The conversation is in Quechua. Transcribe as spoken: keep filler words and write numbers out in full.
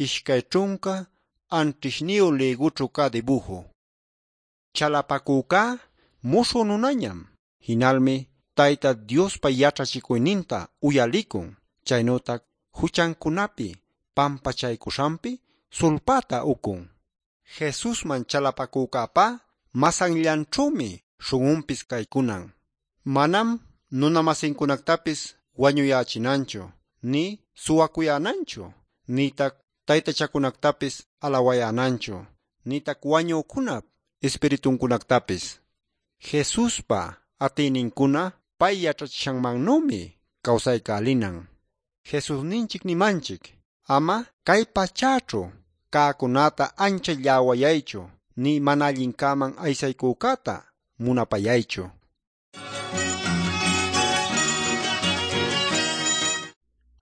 Ishkay ćhunca anćhishniyu lïgućhu cä dibuju. Chalapacücá muśhü nunañam. Jinalmi Tayta Diospa yaćhachicuyninta uyalicun. Chaynütac juchancunapi pampachaycuśhanpi sulpäta ucun. Jesusman chalapacücäpá masanllanćhümi śhun'unpis caycunan. Manam nuna-masincunactapis wañuyächinanchu, nï suwacuyänanchu, nïtac taytachacunactapis alawayänanchu, nïtac wañücunap ispirituncunactapis. Jesuspa atïnincuna pay yaćhachishanmannümi cawsaycälinan. Jesusninchic nimanchic: Ama cay pachäćhu cäcunäta ancha lläwayaychu, nï mana allincäman aysaycücäta munapayaychu.